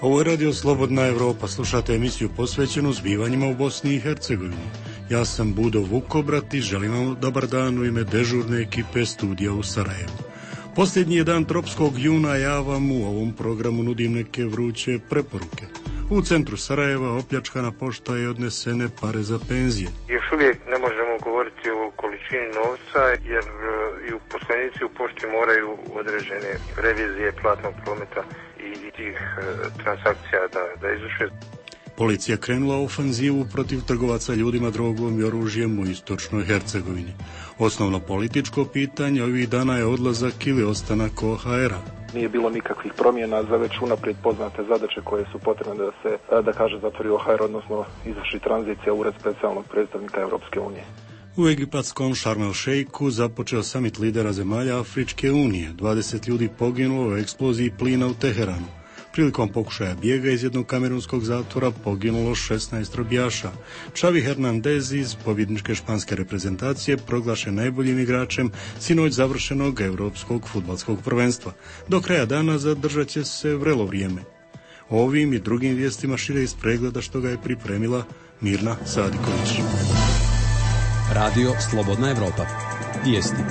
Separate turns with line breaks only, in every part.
Ovo je Radio Slobodna Evropa, slušate emisiju posvećenu zbivanjima u Bosni i Hercegovini. Ja sam Budo Vukobrat i želim vam dobar dan u ime dežurne ekipe studija u Sarajevu. Posljednji je dan tropskog juna, ja vam u ovom programu nudim neke vruće preporuke. U centru Sarajeva opljačkana pošta i odnesene pare za penzije.
Još uvijek ne možemo govoriti o količini novca jer i uposlenici u pošti moraju određene revizije platnog prometa i tih transakcija da izvrše.
Policija krenula u ofanzivu protiv trgovaca ljudima, drogom i oružjem u istočnoj Hercegovini. Osnovno političko pitanje ovih dana je odlazak ili ostanak OHR-a.
Nije bilo nikakvih promjena za već unaprijed poznate zadaće koje su potrebne da se, zatvori OHR, odnosno izvrši tranzicija u ured specijalnog predstavnika Europske unije.
U egipatskom Šarm el Šejku započeo samit lidera zemalja Afričke unije. 20 ljudi poginulo u eksploziji plina u Teheranu. Prilikom pokušaja bijega iz jednog kamerunskog zatvora poginulo 16 robijaša. Xavi Hernandez iz pobjedničke španske reprezentacije proglašen najboljim igračem sinoć završenog europskog fudbalskog prvenstva. Do kraja dana zadržat će se vrelo vrijeme. O ovim i drugim vijestima šire iz pregleda što ga je pripremila Mirna Sadiković.
Radio Slobodna Evropa. Vijesti.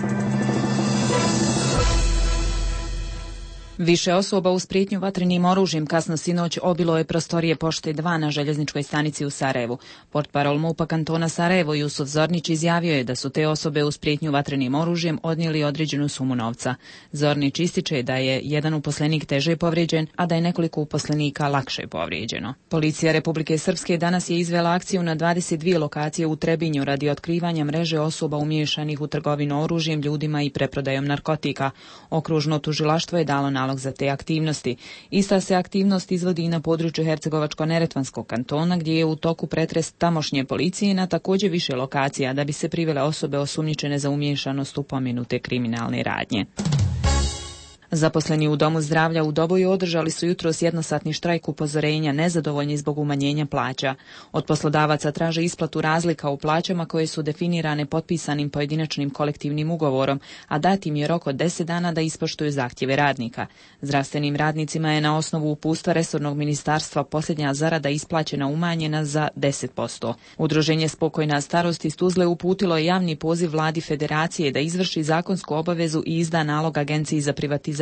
Više osoba uz prijetnju vatrenim oružjem kasno sinoć obilo je prostorije pošte 2 na željezničkoj stanici u Sarajevu. Portparol MUP-a kantona Sarajevo Jusuf Zornić izjavio je da su te osobe uz prijetnju vatrenim oružjem odnijeli određenu sumu novca. Zornić ističe da je jedan uposlenik teže povrijeđen, a da je nekoliko uposlenika lakše povrijeđeno. Policija Republike Srpske danas je izvela akciju na 22 lokacije u Trebinju radi otkrivanja mreže osoba umiješanih u trgovinu oružjem, ljudima i preprodajom narkotika. Okružno tužilaštvo je dalo nalog za te aktivnosti. Ista se aktivnost izvodi i na području Hercegovačko-neretvanskog kantona, gdje je u toku pretres tamošnje policije na također više lokacija da bi se privele osobe osumnjičene za umiješanost u pomenute kriminalne radnje. Zaposleni u Domu zdravlja u Doboju održali su jutros jednosatni štrajk upozorenja, nezadovoljni zbog umanjenja plaća. Od poslodavaca traže isplatu razlika u plaćama koje su definirane potpisanim pojedinačnim kolektivnim ugovorom, a dat im je rok od 10 dana da ispoštuju zahtjeve radnika. Zdravstvenim radnicima je na osnovu uputstva resornog ministarstva posljednja zarada isplaćena umanjena za 10%. Udruženje Spokojna starost iz Tuzle uputilo je javni poziv vladi federacije da izvrši zakonsku obavezu i izda nalog Agenciji za privatizaciju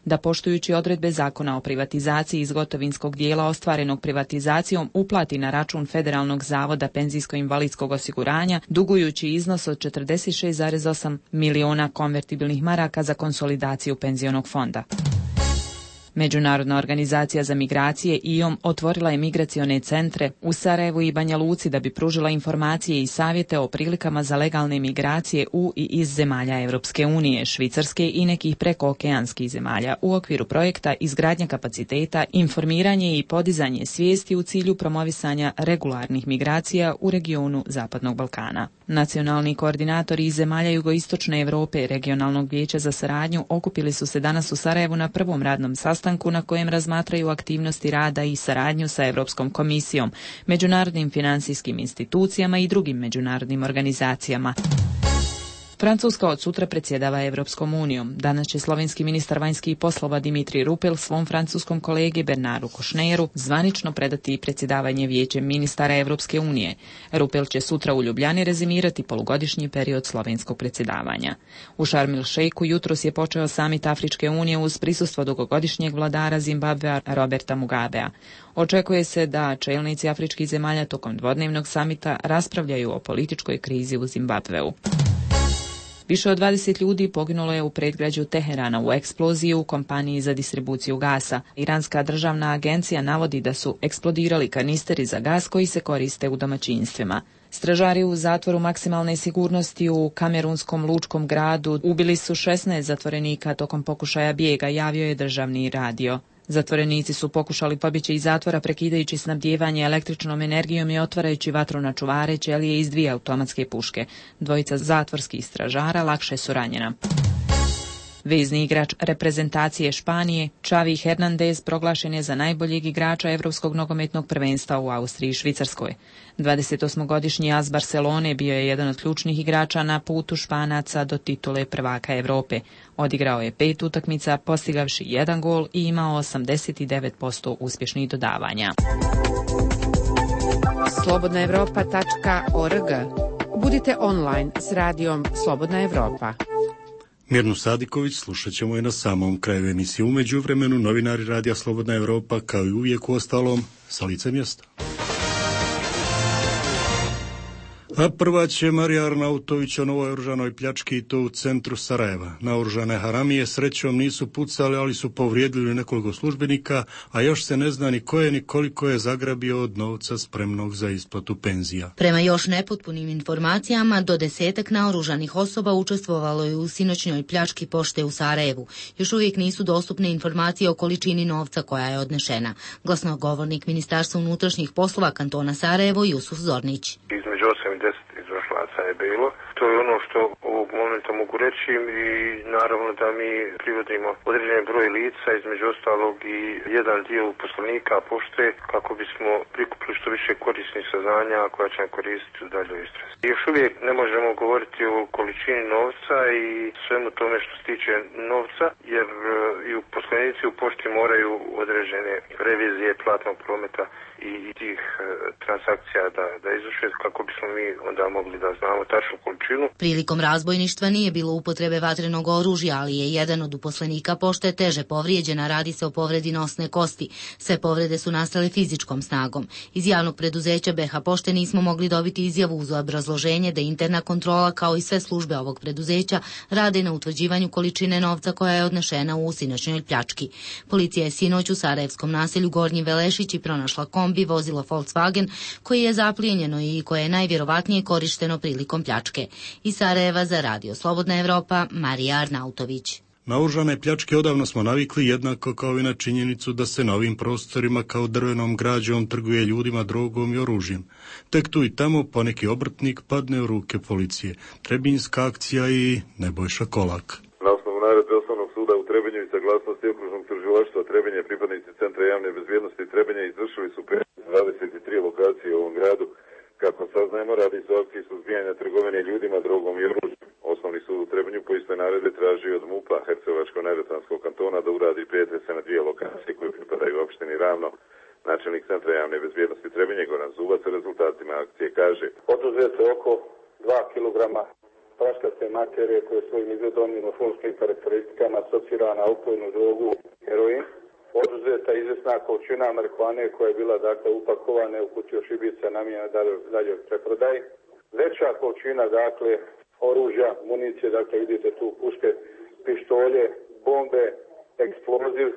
da poštujući odredbe zakona o privatizaciji iz gotovinskog dijela ostvarenog privatizacijom uplati na račun Federalnog zavoda penzijsko-invalidskog osiguranja dugujući iznos od 46,8 miliona konvertibilnih maraka za konsolidaciju penzionog fonda. Međunarodna organizacija za migracije IOM otvorila je migracione centre u Sarajevu i Banja Luci da bi pružila informacije i savjete o prilikama za legalne migracije u i iz zemalja Europske unije, Švicarske i nekih prekookeanskih zemalja u okviru projekta izgradnja kapaciteta, informiranje i podizanje svijesti u cilju promovisanja regularnih migracija u regionu Zapadnog Balkana. Nacionalni koordinatori iz zemalja jugoistočne Europe i Regionalnog vijeća za saradnju okupili su se danas u Sarajevu na prvom radnom sastanku na kojem razmatraju aktivnosti rada i saradnju sa Europskom komisijom, međunarodnim financijskim institucijama i drugim međunarodnim organizacijama. Francuska od sutra predsjedava Europskom unijom. Danas će slovenski ministar vanjskih poslova Dimitri Rupel svom francuskom kolegi Bernardu Košneru zvanično predati predsjedavanje Vijećem ministara Europske unije. Rupel će sutra u Ljubljani rezimirati polugodišnji period slovenskog predsjedavanja. U Šarm el Šejku jutros je počeo samit Afričke unije uz prisustvo dugogodišnjeg vladara Zimbabvea Roberta Mugabea. Očekuje se da čelnici afričkih zemalja tokom dvodnevnog samita raspravljaju o političkoj krizi u Zimbabveu. Više od 20 ljudi poginulo je u predgrađu Teherana u eksploziji u kompaniji za distribuciju gasa. Iranska državna agencija navodi da su eksplodirali kanisteri za gas koji se koriste u domaćinstvima. Stražari u zatvoru maksimalne sigurnosti u kamerunskom lučkom gradu ubili su 16 zatvorenika tokom pokušaja bijega, javio je državni radio. Zatvorenici su pokušali pobjeći iz zatvora prekidajući snabdijevanje električnom energijom i otvarajući vatru na čuvare, ćelije iz 2 automatske puške. Dvojica zatvorskih stražara lakše su ranjena. Vezni igrač reprezentacije Španije, Xavi Hernandez, proglašen je za najboljeg igrača Evropskog nogometnog prvenstva u Austriji i Švicarskoj. 28-godišnji as Barcelone bio je jedan od ključnih igrača na putu Španaca do titule prvaka Evrope. Odigrao je 5 utakmica, postigavši 1 gol i imao 89% uspješnih dodavanja.
slobodnaevropa.org. Budite online s radijom Slobodna Evropa.
Mirnu Sadiković slušat ćemo je na samom kraju emisije. U međuvremenu novinari Radija Slobodna Evropa, kao i uvijek u ostalom, sa lice mjesta. A prva će Marija Arnautović o novoj oružanoj pljački i to u centru Sarajeva. Naoružane haramije srećom nisu pucali, ali su povrijedili nekoliko službenika, a još se ne zna ni ko je ni koliko je zagrabio od novca spremnog za isplatu penzija.
Prema još nepotpunim informacijama, do 10 naoružanih osoba učestvovalo je u sinoćnjoj pljački pošte u Sarajevu. Još uvijek nisu dostupne informacije o količini novca koja je odnešena. Glasnogovornik Ministarstva unutrašnjih poslova kantona Sarajevo Jusuf Zornić.
Između 8 i 10 izvršilaca je bilo. To je ono što ovog momenta mogu reći i naravno da mi privodimo određen broj lica, između ostalog i jedan dio uposlenika pošte, kako bismo prikupili što više korisnih saznanja koja će nam koristiti u daljoj istrazi. Još uvijek ne možemo govoriti o količini novca i svemu tome što se tiče novca, jer i uposlenici u pošti moraju određene revizije platnog prometa i tih transakcija da izvrše, kako bismo mi onda mogli da znamo tačnu količinu.
Prilikom razbojništva nije bilo upotrebe vatrenog oružja, ali je jedan od uposlenika pošte teže povrijeđena, radi se o povredi nosne kosti. Sve povrede su nastale fizičkom snagom. Iz javnog preduzeća BH Pošte nismo mogli dobiti izjavu uz obrazloženje da interna kontrola, kao i sve službe ovog preduzeća, rade na utvrđivanju količine novca koja je odnešena u sinoćnjoj pljački. Policija je sinoć u sarajevskom naselju Gornji Velešići pronašla kombi, vozilo Volkswagen, koji je zaplijenjeno i koje je najvjerovatnije korišteno prilikom pljačke. Iz Sarajeva za Radio Slobodna Evropa, Marija Arnautović.
Na oružane pljačke odavno smo navikli, jednako kao i na činjenicu da se na ovim prostorima kao drvenom građom trguje ljudima, drogom i oružjem. Tek tu i tamo poneki obrtnik padne u ruke policije. Trebinjska akcija i Nebojša Kolak.
Na osnovu naredbe Osnovnog suda u Trebinju i saglasnosti okružnog tužilaštva Trebinje, pripadnici Centra javne bezbjednosti Trebinja izvršili su 23 lokacije u ovom gradu. Kako saznajemo, radi se o akciji suzbijanja trgovine ljudima, drogom i oružjem. Osnovni sud u Trebinju po istoj naredbi traži od MUP-a Hercegovačko-Neretvanskog kantona da uradi pretrese na 2 lokacije koje pripadaju opštini Ravno. Načelnik Centra javne bezbjednosti Trebinje Goran Zubac o rezultatima akcije kaže:
Oduzeto je oko 2 kg praškaste materije koje svojim izgledom i morfološkim karakteristikama asocira na opojnu drogu heroin. Oduzeta izvjesna količina marihuane koja je bila upakovana u kutiju šibica namijenjena dalje preprodaj. Veća količina oružja, municije, vidite tu puške, pištolje, bombe, eksploziv,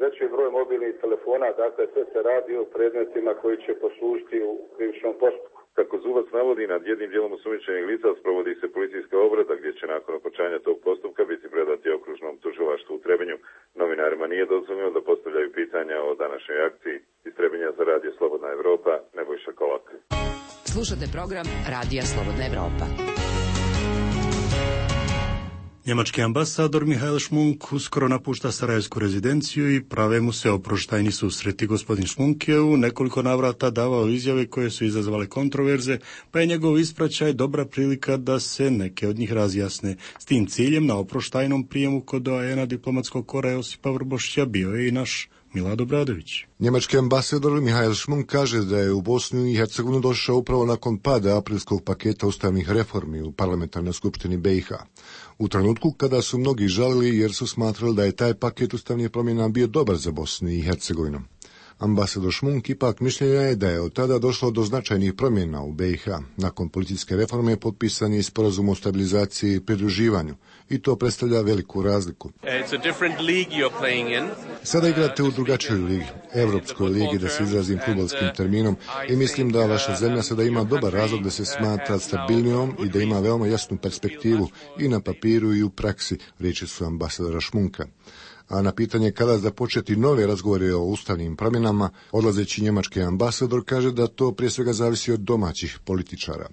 veći broj mobilnih telefona, sve se radi o predmetima koji će poslužiti u krivičnom postupku.
Kako Zubac navodi, nad jednim dijelom osumnjičenih lica sprovodi se policijska obrada gdje će nakon okončanja tog postupka biti predati okružnom tužilaštvu u Trebinju. Novinarima nije dozvoljeno da postavljaju pitanja o današnjoj akciji. Iz Trebinja za Radio Slobodna Evropa, Nebojša Kolak.
Slušate program Radija Slobodna Evropa.
Njemački ambasador Mihael Šmunk uskoro napušta sarajevsku rezidenciju i prave mu se oproštajni susreti. Gospodin Šmunk je u nekoliko navrata davao izjave koje su izazvale kontroverze, pa je njegov ispraćaj dobra prilika da se neke od njih razjasne. S tim ciljem na oproštajnom prijemu kod doajena diplomatskog kora Josipa Vrbošća bio je i naš Milad Obradović.
Njemački ambasador Mihael Šmunk kaže da je u Bosnu i Hercegovinu došao upravo nakon pada aprilskog paketa ustavnih reformi u parlamentarnoj skupštini BiH. U trenutku kada su mnogi žalili jer su smatrali da je taj paket ustavnih promjena bio dobar za Bosnu i Hercegovinu. Ambasador Šmunk ipak mišljenja je da je od tada došlo do značajnih promjena u BiH. Nakon policijske reforme potpisan je sporazum o stabilizaciji i pridruživanju i to predstavlja veliku razliku. Sada igrate u drugačijoj ligi, Evropskoj ligi, da se izrazim fudbalskim terminom, i mislim da vaša zemlja sada ima dobar razlog da se smatra stabilnijom i da ima veoma jasnu perspektivu i na papiru i u praksi, riječi su ambasadora Šmunka. a na pitanje kada započeti nove razgovore o ustavnim promjenama, odlazeći njemački ambasador kaže da to prije svega zavisi od domaćih političara.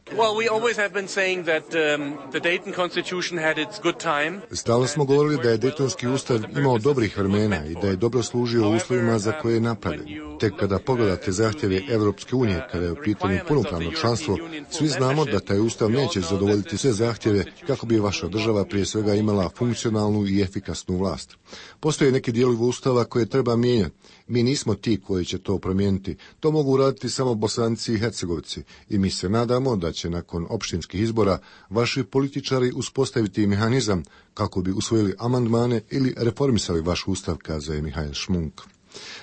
Stalno smo govorili da je Daytonski ustav imao dobrih vremena i da je dobro služio uslovima za koje je napravljen. Tek kada pogledate zahtjeve Europske unije, kada je u pitanju punopravno članstvo, svi znamo da taj ustav neće zadovoljiti sve zahtjeve kako bi vaša država prije svega imala funkcionalnu i efikasnu vlast. Postoje neki dijelovi ustava koje treba mijenjati. Mi nismo ti koji će to promijeniti. To mogu uraditi samo Bosanci i Hercegovci i mi se nadamo da će nakon opštinskih izbora vaši političari uspostaviti mehanizam kako bi usvojili amandmane ili reformisali vaš ustav, kazao je Mihael Šmunk.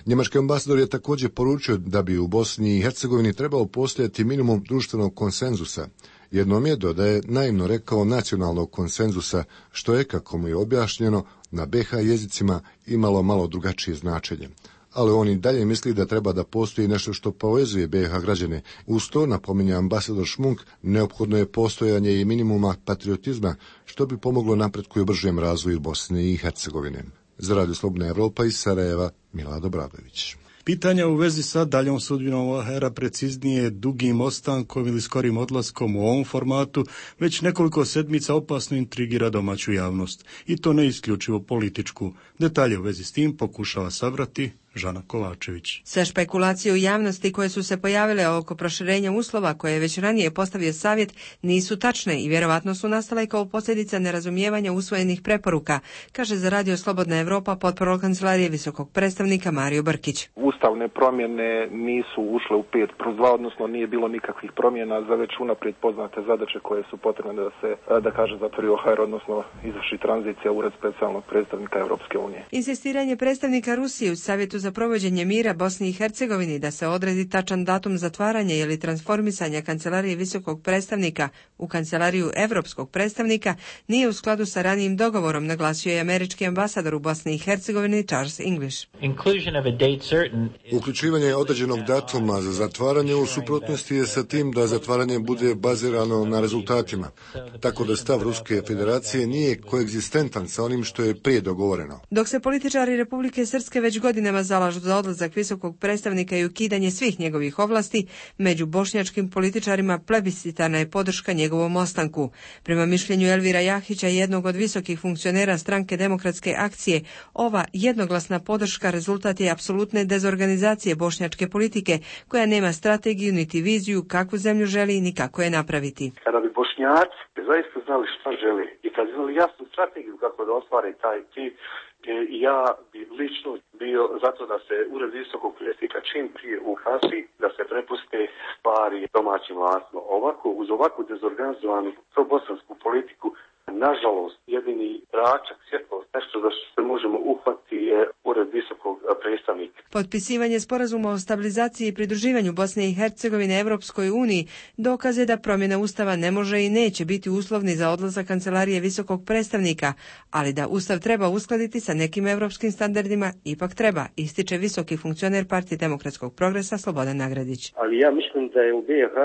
Njemački ambasador je također poručio da bi u Bosni i Hercegovini trebao postojati minimum društvenog konsenzusa. Jednom je, dodaje, naivno rekao nacionalnog konsenzusa, što je, kako mu je objašnjeno, na BiH jezicima imalo malo drugačije značenje. Ali on i dalje misli da treba da postoji nešto što povezuje BiH građane. Uz to, napominje ambasador Šmunk, neophodno je postojanje i minimuma patriotizma, što bi pomoglo napretku i bržem razvoju Bosne i Hercegovine. Za Radio Slobodna Evropa iz Sarajeva, Milad Obradović.
Pitanja u vezi sa daljom sudbinom OHR-a, preciznije dugim ostankom ili skorim odlaskom u ovom formatu, već nekoliko sedmica opasno intrigira domaću javnost. I to ne isključivo političku. Detalje u vezi s tim pokušava sabrati Žana Kovačević.
Sve špekulacije u javnosti koje su se pojavile oko proširenja uslova koje je već ranije postavio savjet nisu tačne i vjerovatno su nastale kao posljedica nerazumijevanja usvojenih preporuka, kaže za Radio Slobodna Evropa potporol kancelarije visokog predstavnika Mario Brkić.
Ustavne promjene nisu ušle u 5+2, odnosno nije bilo nikakvih promjena za već unaprijed poznate zadaće koje su potrebne da se, zatvori OHR, odnosno izvrši tranzicija Ured specijalnog predstavnika Europske unije.
Insistiranje predstavnika Rusije u Savjetu za provođenje mira Bosni i Hercegovini da se odredi tačan datum zatvaranja ili transformisanja kancelarije visokog predstavnika u kancelariju europskog predstavnika nije u skladu sa ranijim dogovorom, naglasio je američki ambasador u Bosni i Hercegovini Charles English.
Uključivanje određenog datuma za zatvaranje u suprotnosti je sa tim da zatvaranje bude bazirano na rezultatima, tako da stav Ruske federacije nije koegzistentan sa onim što je prije dogovoreno.
Dok se političari Republike Srpske već godinama zalažu za odlazak visokog predstavnika i ukidanje svih njegovih ovlasti, među bošnjačkim političarima plebiscitarna je podrška njegovom ostanku. Prema mišljenju Elvira Jahića, jednog od visokih funkcionera stranke Demokratske akcije, ova jednoglasna podrška rezultat je apsolutne dezorganizacije bošnjačke politike, koja nema strategiju niti viziju kakvu zemlju želi ni kako je napraviti.
Kada bi Bošnjaci zaista znali šta želi i kad bi znali jasnu strategiju kako da ostvare taj cilj, ja bi lično bio zato da se Ured visokog predstavnika čim prije uhasi, da se prepuste stvari domaćim vlastima. Ovako, uz ovakvu dezorganizovanu probosansku politiku, nažalost, jedini tračak svjetlost, nešto za što se možemo uhvatiti je Ured visokog predstavnika.
Potpisivanje sporazuma o stabilizaciji i pridruživanju Bosne i Hercegovine Evropskoj uniji dokaz je da promjena ustava ne može i neće biti uslovni za odlazak kancelarije visokog predstavnika, ali da ustav treba uskladiti sa nekim evropskim standardima ipak treba, ističe visoki funkcioner Partije demokratskog progresa Slobodan Nagradić.
Ali ja mislim da je u BiH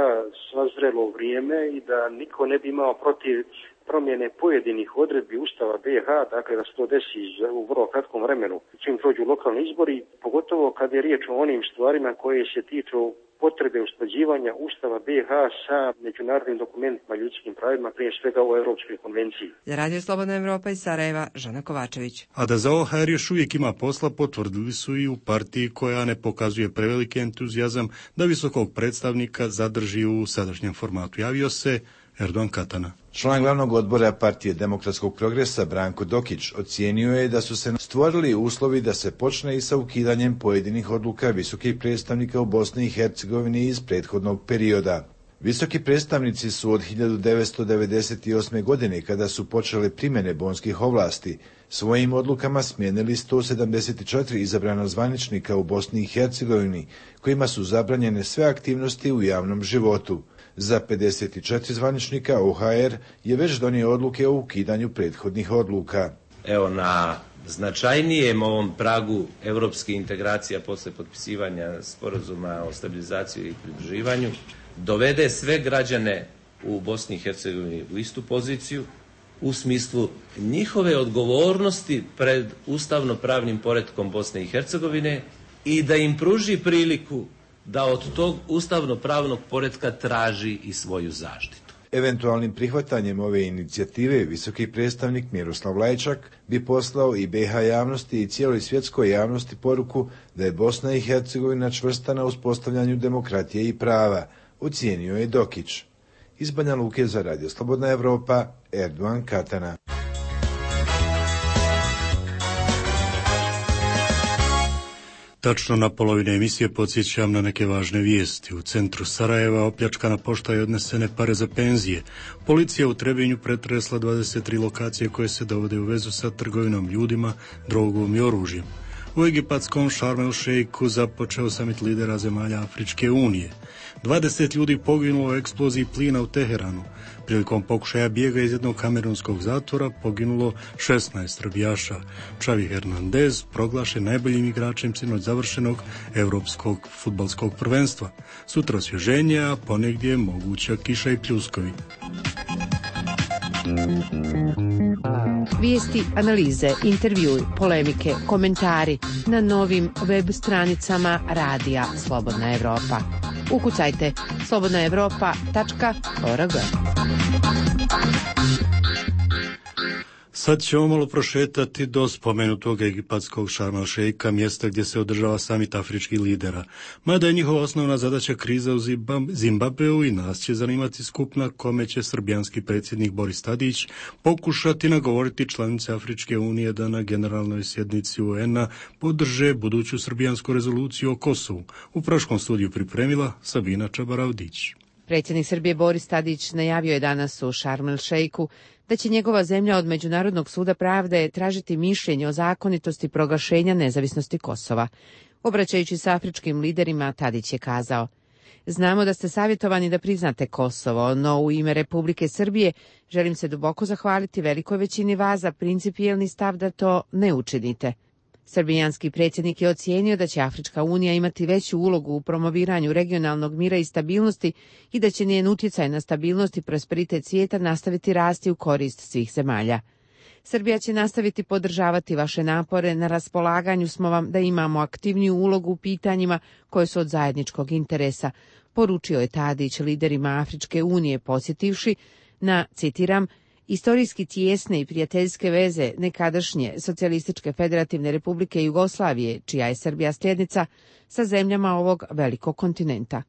sazrelo vrijeme i da niko ne bi imao protiv promjene pojedinih odredbi Ustava BiH, dakle da se to desi u vrlo kratkom vremenu, čim prođu lokalni izbori, pogotovo kad je riječ o onim stvarima koje se tiču potrebe usklađivanja Ustava BiH sa međunarodnim dokumentima ljudskim pravima, prije svega o Europskoj konvenciji.
Za Radio Slobodna Evropa iz Sarajeva, Žana Kovačević.
A da za OHR još uvijek ima posla, potvrdili su i u partiji koja ne pokazuje preveliki entuzijazam da visokog predstavnika zadrži u sadašnjem formatu. Javio se Erdogan Katana.
Član glavnog odbora Partije demokratskog progresa Branko Dokić ocijenio je da su se stvorili uslovi da se počne i sa ukidanjem pojedinih odluka visokih predstavnika u Bosni i Hercegovini iz prethodnog perioda. Visoki predstavnici su od 1998. godine, kada su počele primjene bonskih ovlasti, svojim odlukama smijenili 174 izabrana zvaničnika u Bosni i Hercegovini, kojima su zabranjene sve aktivnosti u javnom životu. Za 54 zvaničnika OHR je već donio odluke o ukidanju prethodnih odluka.
Evo, na značajnijem ovom pragu europskih integracija posle potpisivanja sporazuma o stabilizaciji i pridruživanju dovede sve građane u Bosni i Hercegovini u istu poziciju, u smislu njihove odgovornosti pred ustavno-pravnim poretkom Bosne i Hercegovine i da im pruži priliku da od tog ustavno-pravnog poretka traži i svoju zaštitu.
Eventualnim prihvatanjem ove inicijative visoki predstavnik Miroslav Lajčak bi poslao i BiH javnosti i cijeloj svjetskoj javnosti poruku da je Bosna i Hercegovina čvrsta na uspostavljanju demokratije i prava, ocijenio je Dokić. Iz Banja Luke za Radio Slobodna Evropa, Erdogan Katana.
Tačno na polovine emisije podsjećam na neke važne vijesti. U centru Sarajeva opljačkana pošta i odnesene pare za penzije. Policija u Trebinju pretresla 23 lokacije koje se dovode u vezu sa trgovinom ljudima, drogom i oružjem. U egipatskom Šarm el Šejku započeo samit lidera zemalja Afričke unije. 20 ljudi poginulo u eksploziji plina u Teheranu. Prilikom pokušaja bijega iz jednog kamerunskog zatvora poginulo 16 srbijaša. Xavi Hernandez proglašen najboljim igračem sinoć završenog Evropskog fudbalskog prvenstva. Sutra osvježenje, a ponegdje moguća kiša i pljuskovi.
Vijesti, analize, intervjui, polemike, komentari na novim web stranicama Radija Slobodna Evropa. Ukucajte slobodnaevropa.org.
Sad ćemo malo prošetati do spomenutog egipatskog Šarm el Šejka, mjesta gdje se održava samit afričkih lidera. Mada je njihova osnovna zadaća kriza u Zimbabveu i nas će zanimati skup na kome će srbijanski predsjednik Boris Tadić pokušati nagovoriti članice Afričke unije da na generalnoj sjednici UN-a podrže buduću srbijansku rezoluciju o Kosovu. U Praškom studiju pripremila Sabina Čabaravdić.
Predsjednik Srbije Boris Tadić najavio je danas u Šarm el Šejku da će njegova zemlja od Međunarodnog suda pravde tražiti mišljenje o zakonitosti proglašenja nezavisnosti Kosova. Obraćajući se afričkim liderima, Tadić je kazao: znamo da ste savjetovani da priznate Kosovo, no u ime Republike Srbije želim se duboko zahvaliti velikoj većini vas za principijelni stav da to ne učinite. Srbijanski predsjednik je ocijenio da će Afrička unija imati veću ulogu u promoviranju regionalnog mira i stabilnosti i da će njen utjecaj na stabilnost i prosperitet svijeta nastaviti rasti u korist svih zemalja. Srbija će nastaviti podržavati vaše napore, na raspolaganju smo vam da imamo aktivniju ulogu u pitanjima koje su od zajedničkog interesa, poručio je Tadić liderima Afričke unije, podsjetivši na, citiram, istorijski tijesne i prijateljske veze nekadašnje Socijalističke federativne republike Jugoslavije, čija je Srbija sljednica, sa zemljama ovog velikog kontinenta.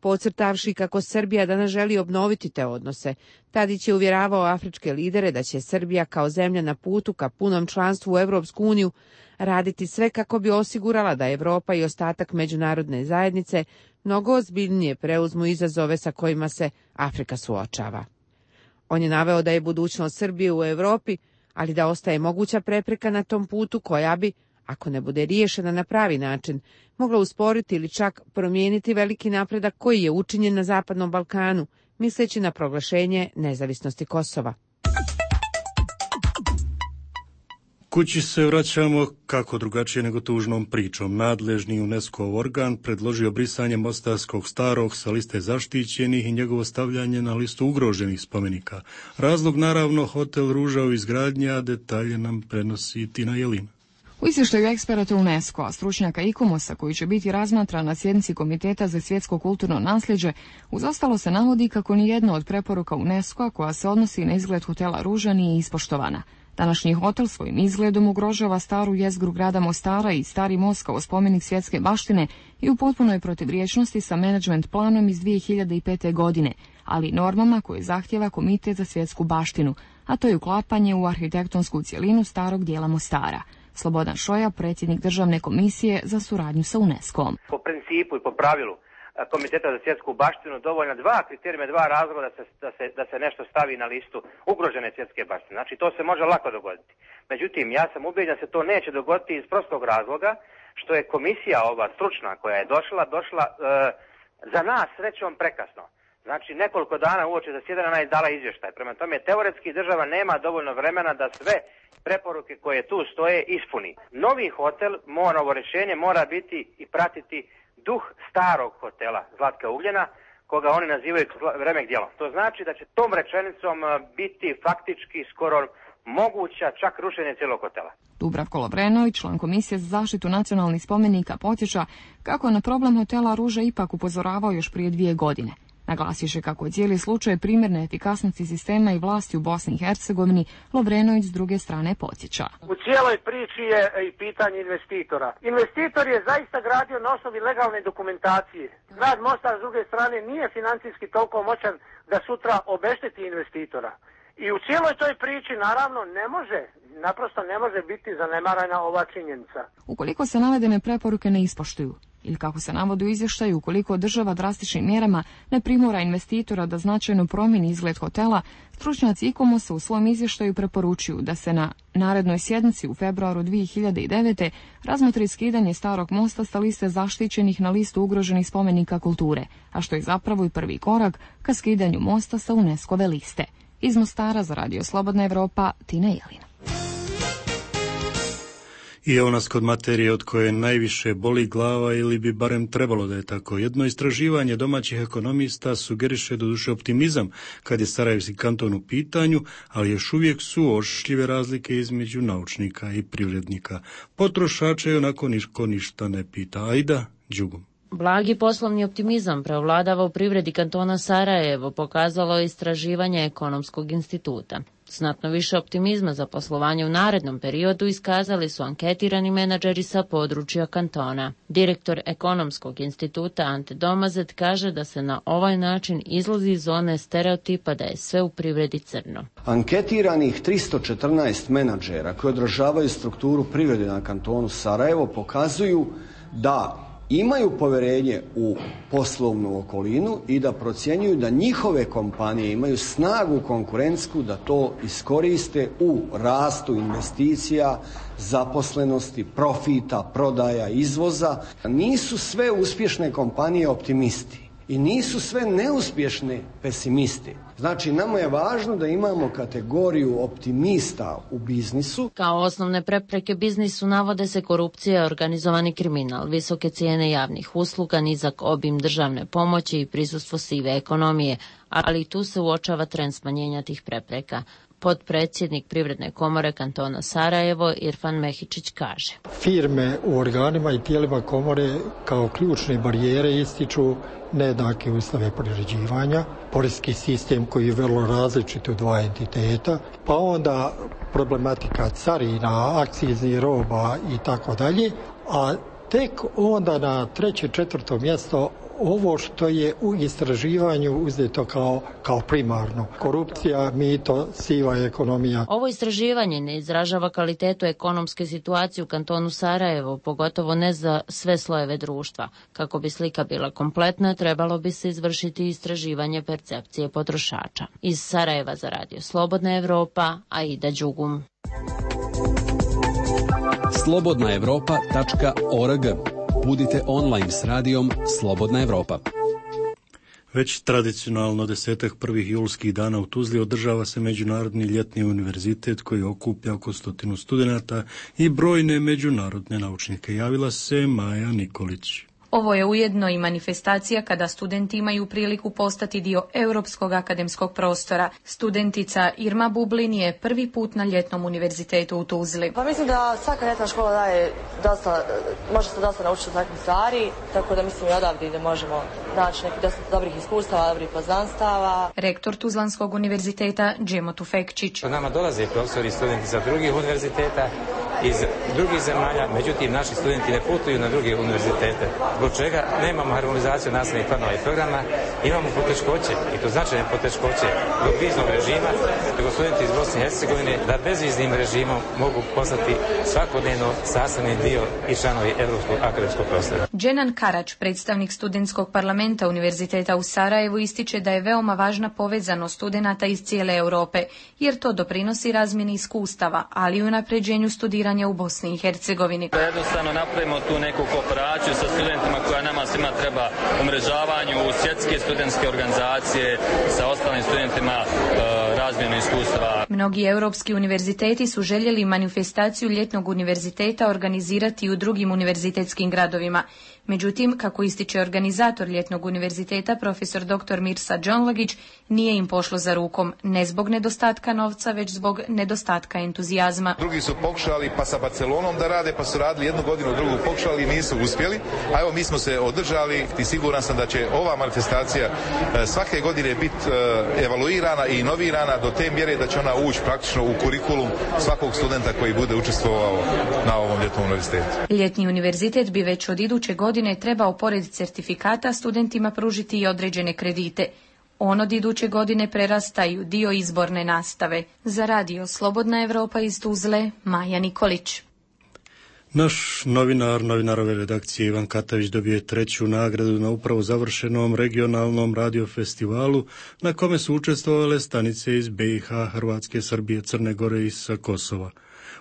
Podcrtavši kako Srbija danas želi obnoviti te odnose, Tadić je uvjeravao afričke lidere da će Srbija kao zemlja na putu ka punom članstvu u Europsku uniju raditi sve kako bi osigurala da Europa i ostatak međunarodne zajednice mnogo ozbiljnije preuzmu izazove sa kojima se Afrika suočava. On je naveo da je budućnost Srbije u Europi, ali da ostaje moguća prepreka na tom putu koja bi, ako ne bude riješena na pravi način, mogla usporiti ili čak promijeniti veliki napredak koji je učinjen na Zapadnom Balkanu, misleći na proglašenje nezavisnosti Kosova.
Kući se vraćamo kako drugačije nego tužnom pričom. Nadležni UNESCO organ predložio brisanje Mostarskog starog sa liste zaštićenih i njegovo stavljanje na listu ugroženih spomenika. Razlog naravno hotel Ruža u izgradnji, a detalje nam prenosi Tina Jelina.
U izvještaju eksperata UNESCO-a, stručnjaka ICOMOS-a koji će biti razmatran na sjednici Komiteta za svjetsko kulturno nasljeđe, uz ostalo se navodi kako nijedna od preporuka UNESCO-a koja se odnosi na izgled hotela Ruža nije ispoštovana. Današnji hotel svojim izgledom ugrožava staru jezgru grada Mostara i stari most kao spomenik svjetske baštine i u potpunoj protivriječnosti sa menadžment planom iz 2005. godine, ali i normama koje zahtjeva Komitet za svjetsku baštinu, a to je uklapanje u arhitektonsku cjelinu starog dijela Mostara. Slobodan Šoja, predsjednik Državne komisije za suradnju sa UNESCO-om.
Po principu i po pravilu Komiteta za svjetsku baštinu dovoljna dva kriterijuma, dva razloga da se nešto stavi na listu ugrožene svjetske baštine. Znači to se može lako dogoditi. Međutim, ja sam ubeđen da se to neće dogoditi iz prostog razloga što je komisija ova stručna koja je došla za nas srećom prekasno. Znači nekoliko dana uoči zasjedanja ona je dala izvještaj. Prema tome teoretski država nema dovoljno vremena da sve preporuke koje tu stoje ispuni. Novi hotel, novo rješenje mora biti i pratiti duh starog hotela Zlatka Ugljena koga oni nazivaju remek djelom. To znači da će tom rečenicom biti faktički skoro moguća čak rušenje cijelog hotela.
Dubravko Lovrenović, član Komisije za zaštitu nacionalnih spomenika, podsjeća kako na problem hotela Ruža ipak upozoravao još prije 2 godine. Naglasiše kako je cijeli slučaj primjer neefikasnosti sistema i vlasti u Bosni i Hercegovini, Lovrenović s druge strane podsjeća.
U cijeloj priči je i pitanje investitora. Investitor je zaista gradio na osnovi legalne dokumentacije. Grad Mostar s druge strane nije financijski toliko moćan da sutra obešteti investitora. I u cijeloj toj priči naravno naprosto ne može biti zanemarena ova činjenica.
Ukoliko se navedene preporuke ne ispoštuju, ili kako se navodi u izvještaju, ukoliko država drastičnim mjerama ne primora investitora da značajno promijeni izgled hotela, stručnjaci ICOMOS-a u svom izvještaju preporučuju da se na narednoj sjednici u februaru 2009. razmotri skidanje starog mosta sa liste zaštićenih na listu ugroženih spomenika kulture, a što je zapravo i prvi korak ka skidanju mosta sa UNESCO-ve liste. Iz Mostara za Radio Slobodna Evropa, Tina Jelina.
I evo nas kod materije od koje najviše boli glava ili bi barem trebalo da je tako. Jedno istraživanje domaćih ekonomista sugeriše doduše optimizam kad je Sarajevski kanton u pitanju, ali još uvijek su ošljive razlike između naučnika i privrednika. Potrošače onako niko ništa ne pita. Ajda, Đugum.
Blagi poslovni optimizam preovladava u privredi kantona Sarajevo, pokazalo je istraživanje Ekonomskog instituta. Znatno više optimizma za poslovanje u narednom periodu iskazali su anketirani menadžeri sa područja kantona. Direktor Ekonomskog instituta Ante Domazet kaže da se na ovaj način izlazi iz zone stereotipa da je sve u privredi crno.
Anketiranih 314 menadžera koji odražavaju strukturu privrede na kantonu Sarajevo pokazuju da imaju povjerenje u poslovnu okolinu i da procjenjuju da njihove kompanije imaju snagu konkurentsku da to iskoriste u rastu investicija, zaposlenosti, profita, prodaja, izvoza. Nisu sve uspješne kompanije optimisti i nisu sve neuspješne pesimisti. Znači, nama je važno da imamo kategoriju optimista u biznisu.
Kao osnovne prepreke biznisu navode se korupcija, organizovani kriminal, visoke cijene javnih usluga, nizak obim državne pomoći i prisustvo sive ekonomije, ali tu se uočava trend smanjenja tih prepreka. Potpredsjednik Privredne komore kantona Sarajevo Irfan Mehičić kaže:
Firme u organima i tijelima komore kao ključne barijere ističu nejednake uslove privređivanja, poreski sistem koji je vrlo različit u dva entiteta, pa onda problematika carina, akciznih roba i tako dalje, a tek onda na 3. 4. mjesto ovo što je u istraživanju uzeto kao primarno. Korupcija, mito, siva ekonomija.
Ovo istraživanje ne izražava kvalitetu ekonomske situacije u kantonu Sarajevo, pogotovo ne za sve slojeve društva. Kako bi slika bila kompletna, trebalo bi se izvršiti istraživanje percepcije potrošača. Iz Sarajeva za Radio Slobodna Evropa, Aida Đugum.
slobodnaevropa.org. Budite online s radijom Slobodna Evropa.
Već tradicionalno 10 prvih julskih dana u Tuzli održava se Međunarodni ljetni univerzitet koji okuplja oko 100 studenata i brojne međunarodne naučnike. Javila se Maja Nikolić.
Ovo je ujedno i manifestacija kada studenti imaju priliku postati dio europskog akademskog prostora. Studentica Irma Bublin je prvi put na ljetnom univerzitetu u Tuzli.
Pa mislim da svaka ljetna škola daje može se dosta naučiti takvih stvari, tako da mislim i odavde da možemo naći nekih dosta dobrih iskustava, dobrih poznanstava.
Rektor Tuzlanskog univerziteta Džemo Tufekčić.
Nama dolaze profesori i studenti sa drugih univerziteta, iz drugih zemalja, međutim naši studenti ne putuju na druge univerzitete. Zbog čega nemamo harmonizaciju nastavnih planova i programa, imamo poteškoće, i to značajne poteškoće zbog viznog režima, nego studenti iz Bosne i Hercegovine da bezviznim režimom mogu postati svakodnevno sastavni dio i članovi Europskog akademskog prostora.
Dženan Karač, predstavnik studentskog parlamenta Univerziteta u Sarajevu, ističe da je veoma važna povezanost studenata iz cijele Europe, jer to doprinosi razmjeni iskustava, ali i unapređenju studiranja u Bosni i Hercegovini.
Da jednostavno napravimo tu neku kooperaciju sa studentima koja nama svima treba umrežavanju, svjetske studentske organizacije, sa ostalim studentima razmjenu iskustava.
Mnogi europski univerziteti su željeli manifestaciju ljetnog univerziteta organizirati u drugim univerzitetskim gradovima. Međutim, kako ističe organizator ljetnog univerziteta, profesor dr. Mirsa Đonlagić, nije im pošlo za rukom, ne zbog nedostatka novca, već zbog nedostatka entuzijazma.
Drugi su pokušali pa sa Barcelonom da rade, pa su radili jednu godinu, drugu pokušali i nisu uspjeli. A evo mi smo se održali i siguran sam da će ova manifestacija svake godine biti evaluirana i inovirana do te mjere da će ona ući praktično u kurikulum svakog studenta koji bude učestvovao na ovom ljetnom univerzitetu.
Ljetni univerzitet bi već od iduće godine trebao pored certifikata studentima pružiti i određene kredite. On od iduće godine prerastaju dio izborne nastave. Za radio Slobodna Evropa iz Tuzle, Maja Nikolić.
Naš novinarove redakcije Ivan Katavić dobio je 3. nagradu na upravo završenom regionalnom radiofestivalu na kome su učestvovale stanice iz BiH, Hrvatske, Srbije, Crne Gore i sa Kosova.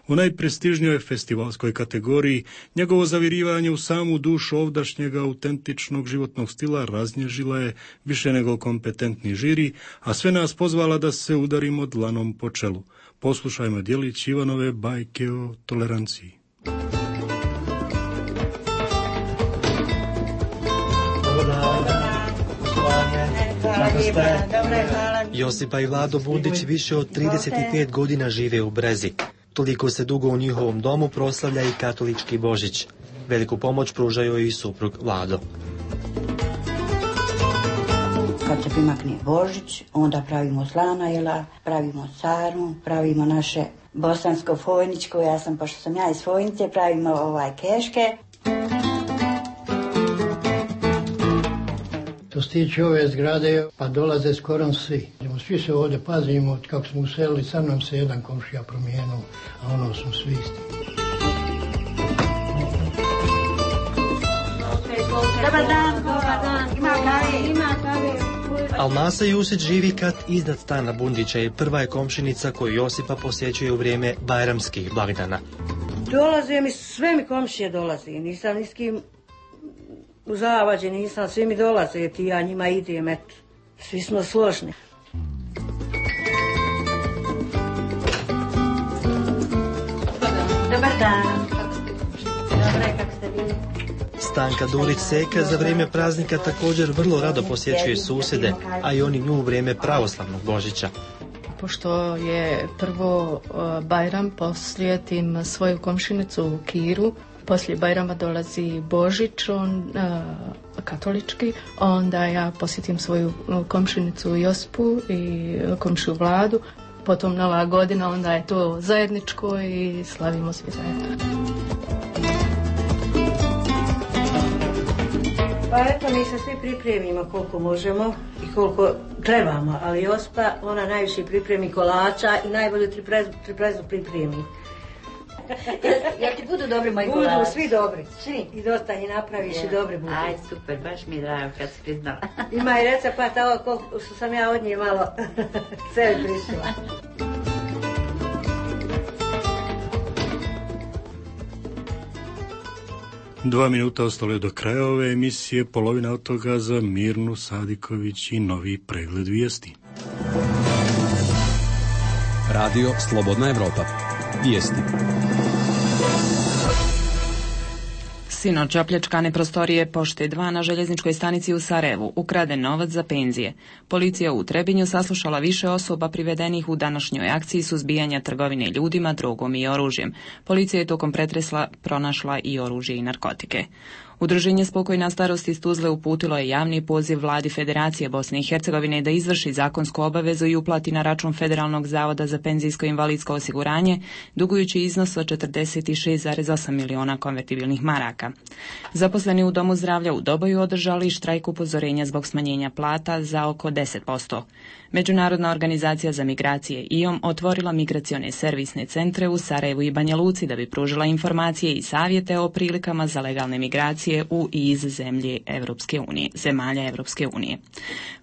U najprestižnijoj festivalskoj kategoriji njegovo zavirivanje u samu dušu ovdašnjega autentičnog životnog stila raznježila je više nego kompetentni žiri, a sve nas pozvala da se udarimo dlanom po čelu. Poslušajmo djelić Ivanove bajke o toleranciji.
Josipa i Vlado Bundić više od 35 godina žive u Brezi. Toliko se dugo u njihovom domu proslavlja i katolički Božić. Veliku pomoć pružaju i suprug Vlado.
Kad se primakne Božić, onda pravimo slana jela, pravimo sarmu, pravimo naše bosansko-fojničko, pošto sam ja iz Fojnice, pravimo keške.
Što se tiče ove zgrade, pa dolaze skoro svi. Svi se ovdje pazimo, kako smo uselili, sa nam se jedan komšija promijenuo, a ono smo svi isti.
Dobar dan, ima kave.
Almasa Jusić živi kat iznad stana Bundića i prva je komšinica koju Josipa posjećuje u vrijeme bajramskih blagdana.
Dolaze mi, sve mi komšije dolaze, nisam ni s kim u zavađe, nisam, svi mi dolaze, ti ja njima idem, eto, svi smo složni. Dobar dan. Dobre, kako ste bili?
Stanka Durić-Seka za vrijeme praznika također vrlo rado posjećuje susjede, a i oni nju u vrijeme pravoslavnog Božića.
Pošto je prvo Bajram, posjetim svoju komšinicu u Kiru, poslije Bajrama dolazi Božić, katolički, onda ja posjetim svoju komšinicu Josipu i komšiju Vladu, potom Nova godina, onda je to zajedničko i slavimo svi zajedno.
Pa eto, mi se svi pripremimo koliko možemo i koliko trebamo, ali Josipa, ona najviše pripremi kolača i najbolju triprezu pripremi.
Jel ti budu dobri moji kolači?
Budu svi dobri, svi. I dosta ih napraviš i dobri budu.
Aj, super, baš mi je drago kad si priznala.
Ima i recept, ovo koliko što sam ja od nje malo sebi prišla.
Dva minuta ostalo je do kraja ove emisije, polovina od toga za Mirnu Sadiković i novi pregled vijesti.
Radio Slobodna Evropa. Vijesti.
Sinoć opljačkane prostorije Pošte 2 na željezničkoj stanici u Sarajevu, ukraden novac za penzije. Policija u Trebinju saslušala više osoba privedenih u današnjoj akciji suzbijanja trgovine ljudima, drogom i oružjem. Policija je tokom pretresa pronašla i oružje i narkotike. Udruženje Spokojna starost iz Tuzle uputilo je javni poziv vladi Federacije Bosne i Hercegovine da izvrši zakonsku obavezu i uplati na račun Federalnog zavoda za penzijsko i invalidsko osiguranje, dugujući iznos od 46,8 miliona konvertibilnih maraka. Zaposleni u Domu zdravlja u Doboju održali štrajk upozorenja zbog smanjenja plata za oko 10%. Međunarodna organizacija za migracije IOM otvorila migracione servisne centre u Sarajevu i Banja Luci da bi pružila informacije i savjete o prilikama za legalne migracije u i iz zemalja Evropske unije.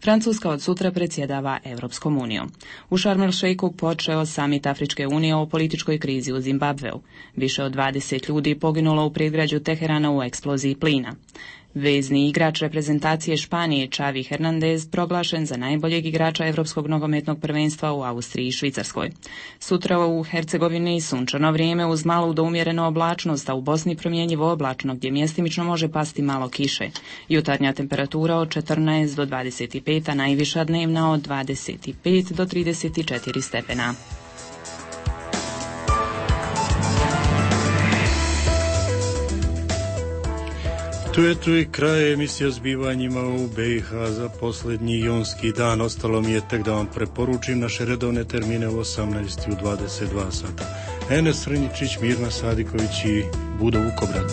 Francuska od sutra predsjedava Evropskom unijom. U Šarm el Šejku počeo samit Afričke unije o političkoj krizi u Zimbabveu. Više od 20 ljudi poginulo u predgrađu Teherana u eksploziji plina. Vezni igrač reprezentacije Španije Xavi Hernandez proglašen za najboljeg igrača Evropskog nogometnog prvenstva u Austriji i Švicarskoj. Sutra u Hercegovini sunčano vrijeme uz malu do umjerenu oblačnost, a u Bosni promjenjivo oblačno gdje mjestimično može pasti malo kiše. Jutarnja temperatura od 14 do 25, a najviša dnevna od 25 do 34 stepena.
Tu je kraj emisije o zbivanjima u BiH za posljednji jonski dan. Ostalo mi je tek da vam preporučim naše redovne termine u 18 i u 22 sata. Enes Srnjičić, Mirna Sadiković i Budo Vukobrat.